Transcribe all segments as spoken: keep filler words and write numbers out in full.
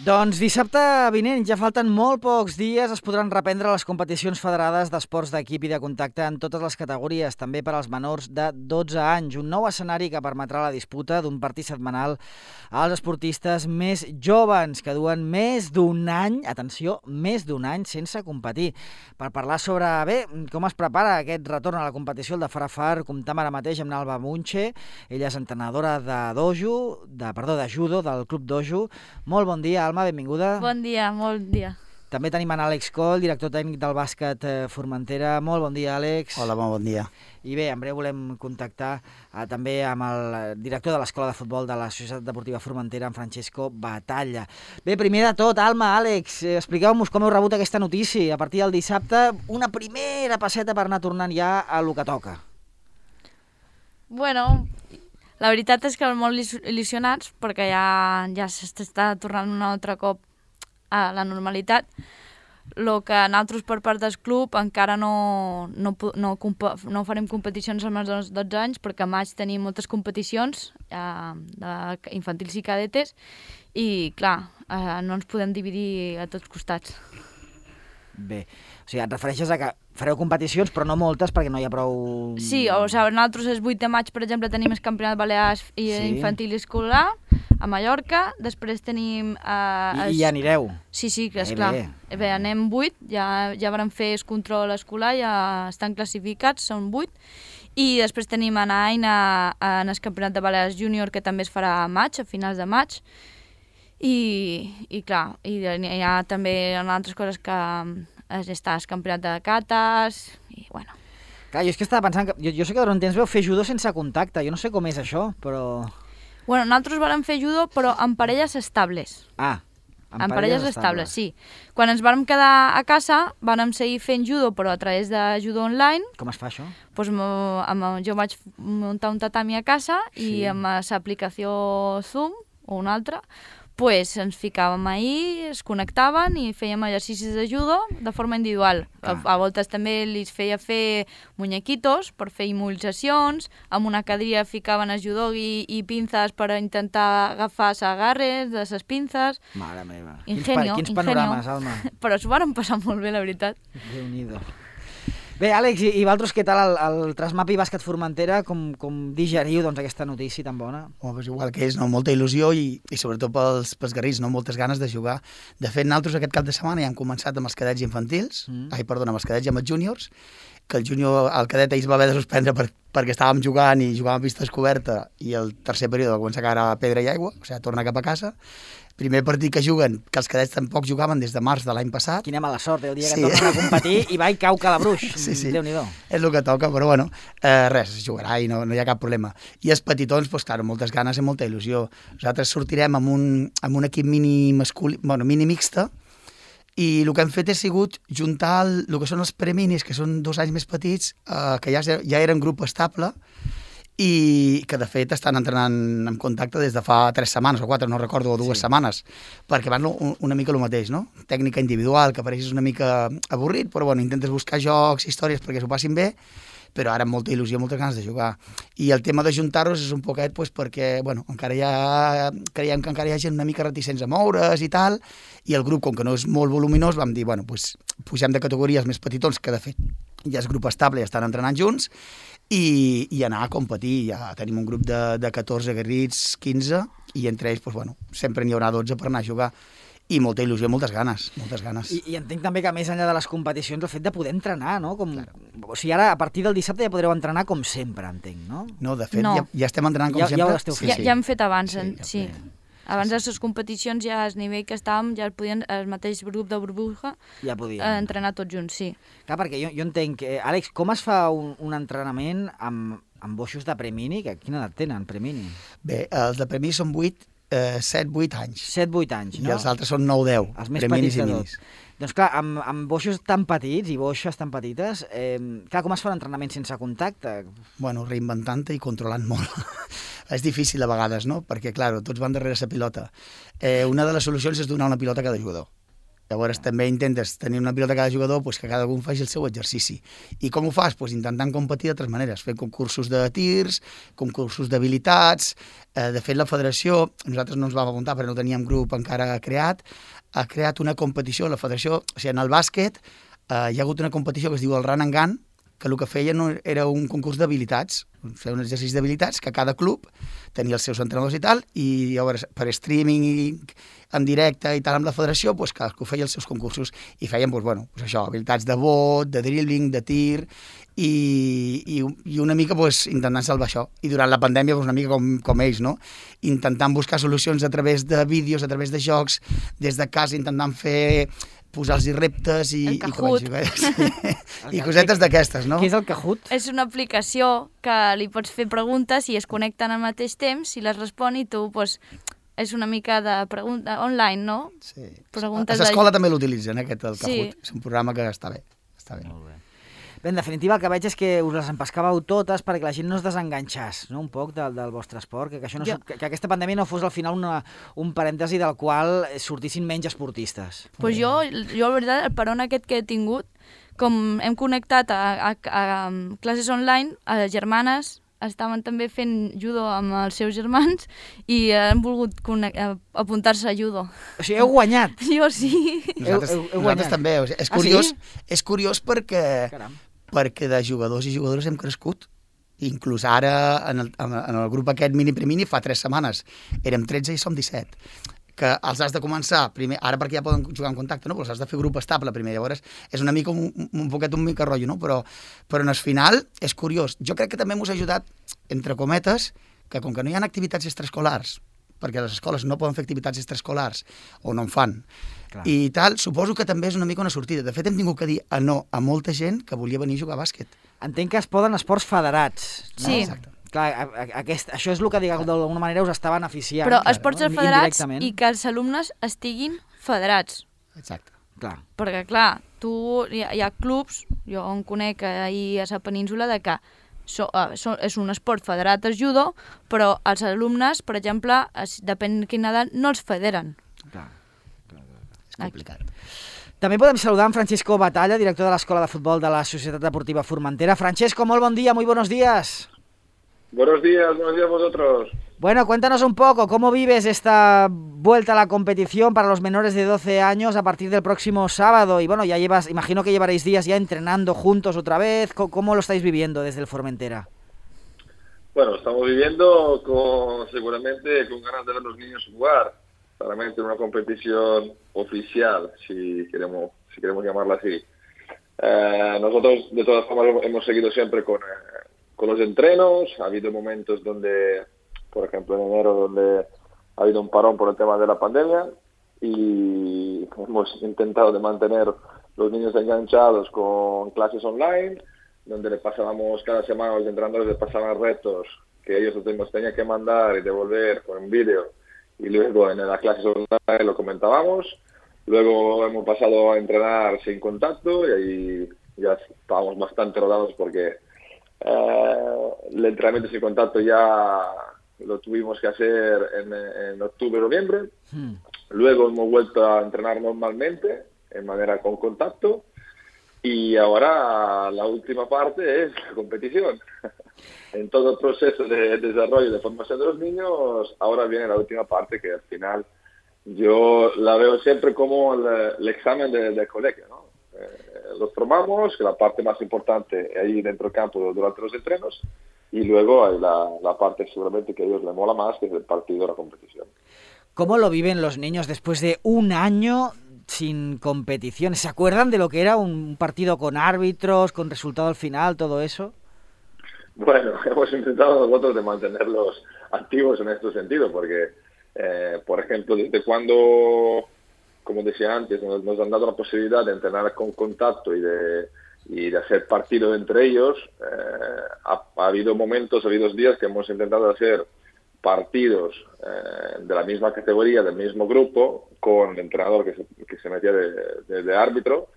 Doncs dissabte vinent, ja falten molt pocs dies, es podran reprendre les competicions federades d'esports d'equip i de contacte en totes les categories, també per als menors de dotze anys. Un nou escenari que permetrà la disputa d'un partit setmanal als esportistes més joves, que duen més d'un any, atenció, més d'un any sense competir. Per parlar sobre, bé, com es prepara aquest retorn a la competició, el de Farafar, comptam ara mateix amb Alba Munche. Ella és entrenadora de dojo, de, perdó, de judo, del Club Dojo. Molt bon dia, Alma, benvinguda. Bon dia, molt dia. També tenim en Àlex Coll, director tècnic del bàsquet Formentera. Molt bon dia, Àlex. Hola, molt bon dia. I bé, en breu volem contactar eh, també amb el director de l'Escola de Futbol de la Societat Deportiva Formentera, en Francesco Batalla. Bé, primer de tot, Alma, Àlex, eh, expliqueu-nos com heu rebut aquesta notícia. A partir del dissabte, una primera passeta per anar tornant ja a lo que toca. Bueno, la veritat és que molt il·lusionats perquè ja, ja s'està tornant un altre cop a la normalitat. El que nosaltres per part del club encara no, no, no, no farem competicions amb els dotze anys perquè a maig tenim moltes competicions eh, infantils i cadetes i clar, eh, no ens podem dividir a tots costats. Bé, o sigui, et refereixes a que fareu competicions, però no moltes, perquè no hi ha prou... Sí, o sigui, nosaltres el vuit de maig, per exemple, tenim el campionat balears i sí. infantil i escolar a Mallorca, després tenim... Eh, I, I ja anireu? Sí, sí, que esclar. Bé. Bé, anem vuit, ja, ja vam fer el control escolar, ja estan classificats, són vuit, i després tenim en Aina en el campionat de balears júnior, que també es farà a maig, a finals de maig, I, i clar, i hi ha també altres coses que està el campionat de cates i bueno. Clar, jo és que estava pensant que jo, jo sé que durant temps veu fer judo sense contacte, jo no sé com és això, però... Bueno, nosaltres vam fer judo però amb parelles estables. Ah, amb, amb parelles, parelles estables, sí. Quan ens vam quedar a casa vam seguir fent judo però a través de judo online. Com es fa això? Pues, amb, jo vaig muntar un tatami a casa sí. i amb l'aplicació Zoom o una altra pues ens ficàvem ahí, es connectaven i fèiem exercicis de judo de forma individual. Ah. A, a voltes també li feia fer muñequitos per fer immobilitzacions, amb una cadira ficaven el judogi i pinces per intentar agafar els agarres de les pinces. Mare meva, ingenio, quins, pa, quins ingenio. panorames, Alma. Però s'ho van passar molt bé, la veritat. Déu-n'hi-do. Bé, Àlex, i, i vosaltres què tal el, el Trasmapi Bàsquet Formentera? Com, com digeriu doncs, aquesta notícia tan bona? Oh, pues igual que és, no? Molta il·lusió i, i sobretot pels, pels garrits, no? Moltes ganes de jugar. De fet, nosaltres aquest cap de setmana ja hem començat amb els cadets infantils, mm. ai, perdona, amb els cadets i amb els júniors, que el júnior, el cadet ahir es va haver de suspendre per, perquè estàvem jugant i jugàvem a pista descoberta i el tercer període va començar a caure a pedra i aigua, o sigui, torna cap a casa. Primer partit que juguen, que els cadets tampoc jugaven des de març de l'any passat. Quina mala sort, eh? El dia que sí. tornen a competir i va i cau Calabruix. Sí, sí. Déu-n'hi-do. És el que toca, però bueno, eh, res, es jugarà i no, no hi ha cap problema. I els petitons, doncs, clar, moltes ganes i molta il·lusió. Nosaltres sortirem amb un, amb un equip mini masculí, bueno, mini mixta, i el que hem fet ha sigut juntar el, el que són els preminis, que són dos anys més petits, eh, que ja, ja eren grup estable, i que de fet estan entrenant en contacte des de fa tres setmanes o quatre, no recordo, o dues sí. setmanes, perquè van una mica el mateix, no? Tècnica individual, que pareix una mica avorrit, però bueno, intentes buscar jocs, històries perquè s'ho passin bé, però ara amb molta il·lusió, moltes ganes de jugar. I el tema de juntar-nos és un poquet pues, perquè bueno, encara hi ha, creiem que encara hi ha gent una mica reticents a moure's i tal, i el grup, com que no és molt voluminós, vam dir, bueno, pues, pugem de categories més petitons, que de fet ja és grup estable i estan entrenant junts, i, i anar a competir. Ja tenim un grup de, de catorze aguerrits, quinze, i entre ells, pues, bueno, sempre n'hi haurà dotze per anar a jugar. I molta il·lusió, moltes ganes, moltes ganes. I, I entenc també que més enllà de les competicions el fet de poder entrenar, no? Com, claro. O sigui, ara a partir del dissabte ja podreu entrenar com sempre, entenc, no? No, de fet, no. Ja, ja estem entrenant com ja, sempre. Ja ho esteu fent. Ja, ja hem fet abans, sí. Ja sí. Abans de les competicions ja al nivell que estàvem ja podien, el mateix grup de burbuja ja podien eh, entrenar tots junts, sí. Clar, perquè jo, jo entenc, eh, Àlex, com es fa un, un entrenament amb, amb boixos de premini? Que, quina edat tenen, premini? Bé, els de premini són vuit, eh, set vuit anys. set vuit anys, no? I els altres són nou deu, els més preminis petits i de minis. Doncs clar, amb, amb boixos tan petits i boixes tan petites, eh, clar, com es fa l'entrenament sense contacte? Bueno, reinventant-te i controlant molt. És difícil a vegades, no? Perquè, clar, tots van darrere la pilota. Eh, una de les solucions és donar una pilota a cada jugador. Llavors també intentes tenir una pilota a cada jugador, pues, que cada un faci el seu exercici. I com ho fas? Pues, intentant competir d'altres maneres, fent concursos de tirs, concursos d'habilitats. Eh, de fet, la federació, nosaltres no ens vam apuntar perquè no teníem grup encara creat, ha creat una competició, la federació, o sigui, en el bàsquet eh, hi ha hagut una competició que es diu el Run and Gun, que el que feien era un concurs d'habilitats, fer un exercici d'habilitats, que cada club tenia els seus entrenadors i tal, i llavors per streaming i en directe i tal amb la federació, pues, cadascú feia els seus concursos i feien pues, bueno, pues això, habilitats de bot, de dribbling, de tir, i, i, i una mica pues, intentant salvar això. I durant la pandèmia pues, una mica com, com ells, no? Intentant buscar solucions a través de vídeos, a través de jocs, des de casa intentant fer posar-los reptes i, el Kahoot. i, sí. I cosetes d'aquestes, no? Què és el Kahoot? És una aplicació que li pots fer preguntes i es connecten al mateix temps i les respon i tu, pues, és una mica de pregunta online, no? Sí. Preguntes a l'escola de... també l'utilitzen, eh, aquest, el Kahoot. Sí. És un programa que està bé. Està bé. Molt bé. Bé, en definitiva, el que veig és que us les empescàveu totes perquè la gent no es desenganxés, no?, un poc del, del vostre esport, que, que, això no, jo... que, que aquesta pandèmia no fos al final una, un parèntesi del qual sortissin menys esportistes. Pues jo, jo, la veritat, el peron aquest que he tingut, com hem connectat a, a, a, a classes online, a les germanes estaven també fent judo amb els seus germans i han volgut apuntar-se a judo. O sigui, heu guanyat. Jo sí. Nosaltres, heu, heu nosaltres també. O sigui, és, curiós, ah, sí? és curiós perquè, perquè de jugadors i jugadores hem crescut. Inclús ara, en el, en el grup aquest mini-premini, fa tres setmanes, érem tretze i som disset. Que els has de començar, primer, ara perquè ja poden jugar en contacte, no? Però els has de fer grup estable primer, llavors és una mica un, un poquet un mica rotllo, no? Però, però en el final és curiós. Jo crec que també m'ho ha ajudat, entre cometes, que com que no hi ha activitats extraescolars, perquè les escoles no poden fer activitats extraescolars, o no en fan, clar, i tal, suposo que també és una mica una sortida. De fet, hem tingut que dir a no a molta gent que volia venir a jugar a bàsquet. Entenc que es poden esports federats, no? Sí. Exacte. Clar, aquest, això és el que d'alguna manera us està beneficiant. Però esports no? federats i que els alumnes estiguin federats. Exacte. Clar. Perquè, clar, tu, hi ha, hi ha clubs, jo en conec ahir a la península, de que so, uh, so, és un esport federat el judo, però els alumnes, per exemple, es, depèn de quina edat, no els federen. Clar. Clar, clar. És complicat. També podem saludar en Francisco Batalla, director de l'Escola de Futbol de la Societat Deportiva Formentera. Francesco, molt bon dia, muy buenos días. Buenos días, buenos días vosotros. Bueno, cuéntanos un poco, ¿cómo vives esta vuelta a la competición para los menores de doce años a partir del próximo sábado? Y bueno, ya llevas, imagino que llevaréis días ya entrenando juntos otra vez. ¿Cómo lo estáis viviendo desde el Formentera? Bueno, estamos viviendo con, seguramente con ganas de ver a los niños jugar, claramente en una competición oficial, si queremos, si queremos llamarla así. Eh, nosotros, de todas formas, hemos seguido siempre con... Eh, con los entrenos. Ha habido momentos donde, por ejemplo en enero, donde ha habido un parón por el tema de la pandemia y hemos intentado de mantener los niños enganchados con clases online, donde le pasábamos cada semana, los entrenadores les pasaban retos que ellos nos tenían que mandar y devolver con un vídeo, y luego en las clases online lo comentábamos. Luego hemos pasado a entrenar sin contacto y ahí ya estábamos bastante rodados porque Eh, el entrenamiento sin contacto ya lo tuvimos que hacer en, en octubre, noviembre. Hmm. Luego hemos vuelto a entrenar normalmente, en manera con contacto, y ahora la última parte es la competición. En todo el proceso de desarrollo y de formación de los niños, ahora viene la última parte que al final yo la veo siempre como el, el examen de, del colegio, ¿no? Eh, los formamos, que la parte más importante es ahí dentro del campo durante los entrenos, y luego hay la, la parte seguramente que a ellos les mola más, que es el partido de la competición. ¿Cómo lo viven los niños después de un año sin competición? ¿Se acuerdan de lo que era un partido con árbitros, con resultado al final, todo eso? Bueno, hemos intentado nosotros de mantenerlos activos en este sentido, porque, eh, por ejemplo, desde cuando... como decía antes, nos, nos han dado la posibilidad de entrenar con contacto y de, y de hacer partido entre ellos. Eh, ha, ha habido momentos, ha habido días que hemos intentado hacer partidos eh, de la misma categoría, del mismo grupo, con el entrenador que se, que se metía de, de, de árbitro,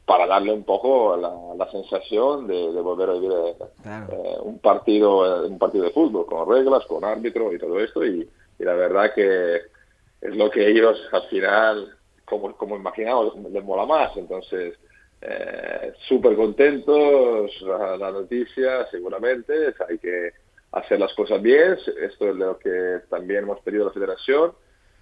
para darle un poco la, la sensación de, de volver a vivir eh, claro. eh, un partido un partido de fútbol, con reglas, con árbitro y todo esto. Y, y la verdad que es lo que ellos al final... como, como imaginamos, les mola más. Entonces, eh, súper contentos, la, la noticia seguramente, hay que hacer las cosas bien, esto es lo que también hemos pedido a la federación,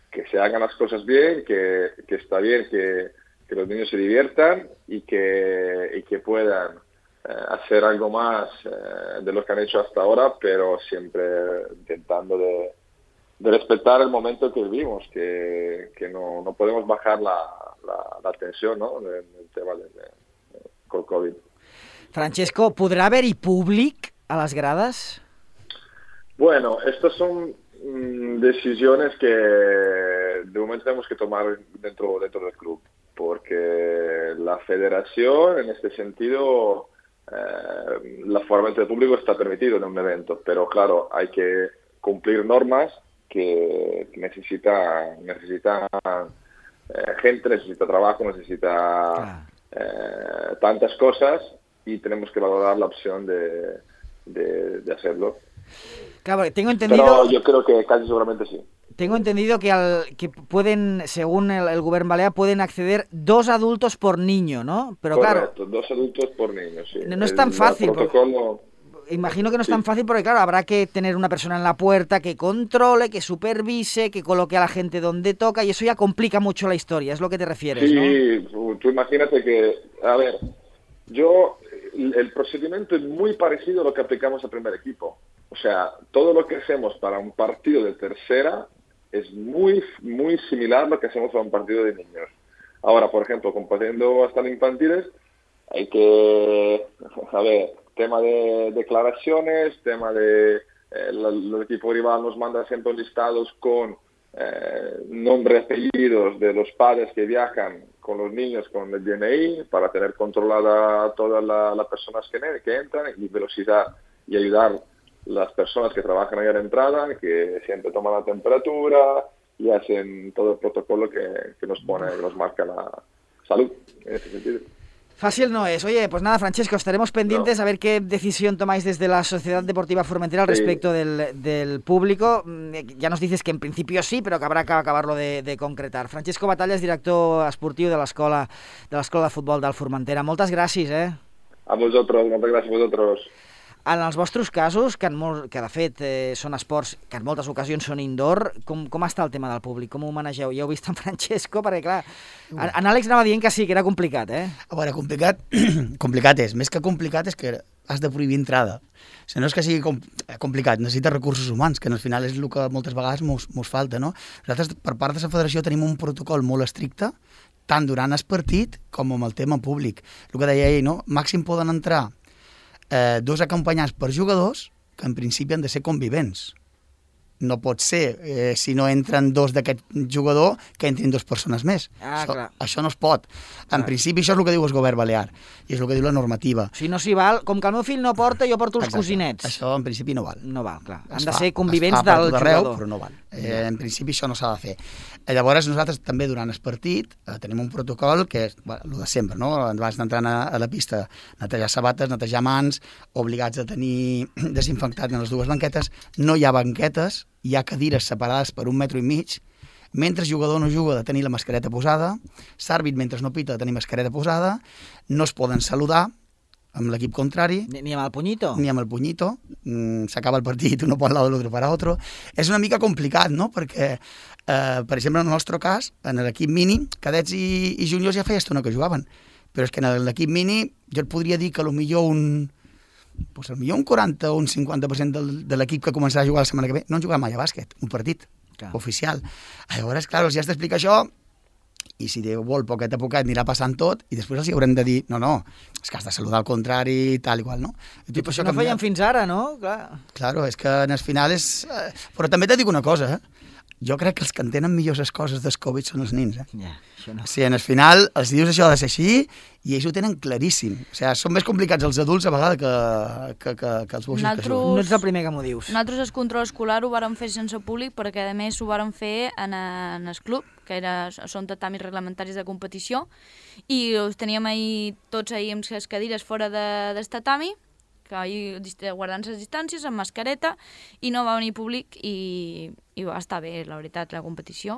que se hagan las cosas bien, que, que está bien que, que los niños se diviertan y que, y que puedan eh, hacer algo más eh, de lo que han hecho hasta ahora, pero siempre intentando de, de respetar el momento que vivimos, que, que no, no podemos bajar la, la, la tensión, ¿no?, del, del tema del de, de, COVID. Francesco, ¿podrà haver-hi públic a les grades? Bueno, estas son mmm, decisiones que de momento tenemos que tomar dentro, dentro del club, porque la federación, en este sentido, eh, el aforamiento de público está permitido en un evento, pero claro, hay que cumplir normas que necesita, necesita eh, gente, necesita trabajo, necesita ah. eh, tantas cosas, y tenemos que valorar la opción de, de, de hacerlo. Claro, tengo entendido... Pero yo creo que casi seguramente sí. Tengo entendido que, al, que pueden, según el, el gobierno balear, pueden acceder dos adultos por niño, ¿no? Pero Correcto, claro, dos adultos por niño, sí. No, no es tan fácil. El protocolo... Porque, imagino que no es sí. tan fácil porque, claro, habrá que tener una persona en la puerta que controle, que supervise, que coloque a la gente donde toca, y eso ya complica mucho la historia, es lo que te refieres, sí, ¿no? Sí, tú imagínate que, a ver, yo, el procedimiento es muy parecido a lo que aplicamos al primer equipo. O sea, todo lo que hacemos para un partido de tercera es muy, muy similar a lo que hacemos para un partido de niños. Ahora, por ejemplo, compartiendo hasta los infantiles, hay que, a ver, tema de declaraciones, tema de, eh, el equipo rival nos manda siempre listados con eh, nombres, apellidos de los padres que viajan con los niños con el D N I para tener controlada todas la, las personas que, que entran y velocidad y ayudar las personas que trabajan ahí a la entrada, que siempre toman la temperatura y hacen todo el protocolo que, que nos pone, que nos marca la salud, en ese sentido. Fácil no es. Oye, pues nada, Francesco, estaremos pendientes no. a ver qué decisión tomáis desde la Sociedad Deportiva Formentera al sí. respecto del, del público. Ya nos dices que en principio sí, pero que habrá que acabar-lo de, de concretar. Francesco Batallas, director esportiu de l'escola de l'escola de futbol del Formentera. Moltes gràcies, eh? A vosaltres, moltes gràcies a vosaltres. En els vostres casos, que, en molt, que de fet eh, són esports que en moltes ocasions són indoor, com, com està el tema del públic? Com ho manegeu? Ja heu vist en Francesco? Perquè, clar, en, en Àlex anava dient que sí, que era complicat, eh? A veure, complicat, complicat és. Més que complicat és que has de prohibir entrada. O sigui, no és que sigui com, complicat, necessita recursos humans, que al final és el que moltes vegades mos, mos falta, no? Nosaltres, per part de la federació, tenim un protocol molt estricte, tant durant el partit com amb el tema públic. El que deia ell, no? Màxim poden entrar Eh, dos acompanyats per jugadors que en principi han de ser convivents. No pot ser, eh, si no entren dos d'aquest jugador, que entrin dues persones més. Ah, això, clar. això no es pot. En clar. principi això és el que diu el govern balear i és el que diu la normativa. Si no s'hi val, com que el meu fill no porta, jo porto els Exacte. cosinets. Això en principi no val. No val, clar. Es Han de fa, ser convivents es fa del per tot arreu, jugador. però no val. Eh, en principi això no s'ha de fer. Eh, llavors nosaltres també durant el partit eh, tenim un protocol que és bueno, el de sempre, no? Abans d'entrar a, a la pista, netejar sabates, netejar mans, obligats a tenir desinfectat en les dues banquetes. No hi ha banquetes, hi ha cadires separades per un metro i mig. Mentre el jugador no juga, de tenir la mascareta posada. L'àrbit, mentre no pita, de tenir mascareta posada. No es poden saludar amb l'equip contrari. Ni, ni amb el punyito. Ni amb el punyito. Mm, s'acaba el partit, uno por un lado, l'altre per altre. És una mica complicat, no?, perquè, eh, per exemple, en el nostre cas, en l'equip mini, cadets i, i juniors ja feia estona que jugaven. Però és que en l'equip mini jo et podria dir que potser un... Pues, potser un quaranta o un cinquanta per cent del, de l'equip que començarà a jugar la setmana que ve no han jugat mai a bàsquet, un partit clar. oficial. Llavors, clar, si has d'explicar això, i si Déu vol, poquet a poquet anirà passant tot, i després els haurem de dir, no, no, és que has de saludar al contrari, tal i qual, no? I tot això no feien fins ara, no? Clar. Claro, és que en el final és... Però també te dic una cosa, eh? Jo crec que els que entenen millor les coses del Covid són els nins, eh? Ja, això no. O sigui, en el final els dius això ha de ser així i ells ho tenen claríssim. O sigui, són més complicats els adults a vegades que, que, que, que els boixos Naltros... que juguen. No ets el primer que m'ho dius. Nosaltres el control escolar ho vàrem fer sense públic perquè a més ho vàrem fer en, en el club, que era, són tatamis reglamentaris de competició, i els teníem ahir, tots ahir amb les cadires fora de, del tatami, que ahir guardant les distàncies, amb mascareta, i no va venir públic i, i va estar bé, la veritat, la competició.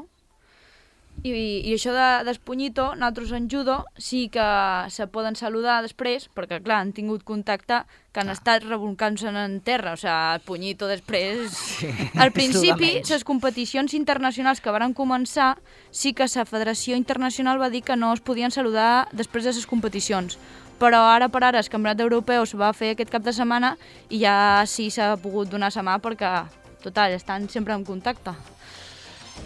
I, i això de, d'Espunyito, nosaltres en judo sí que se poden saludar després, perquè clar, han tingut contacte que han ah. estat revolcant-se en terra, o sigui, el punyito després... Sí, al principi, les competicions internacionals que van començar, sí que la Federació Internacional va dir que no es podien saludar després de les competicions, però ara per ara el Campionat Europeu es va fer aquest cap de setmana i ja sí s'ha pogut donar la mà perquè, total, estan sempre en contacte.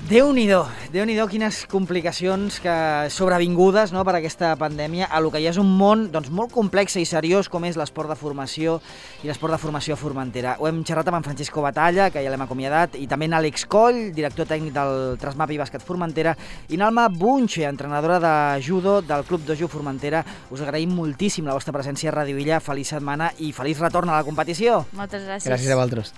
Déu-n'hi-do, Déu-n'hi-do quines complicacions que sobrevingudes, no, per aquesta pandèmia, a lo que ja és un món doncs, molt complex i seriós com és l'esport de formació i l'esport de formació a Formentera. Ho hem xerrat amb en Francisco Batalla, que ja l'hem acomiadat, i també en Àlex Coll, director tècnic del Trasmap i Bàsquet Formentera, i Nalma Bunche, entrenadora de judo del Club Dojo Formentera. Us agraïm moltíssim la vostra presència a Ràdio Illa. Feliç setmana i feliç retorn a la competició. Moltes gràcies. Gràcies a vosaltres.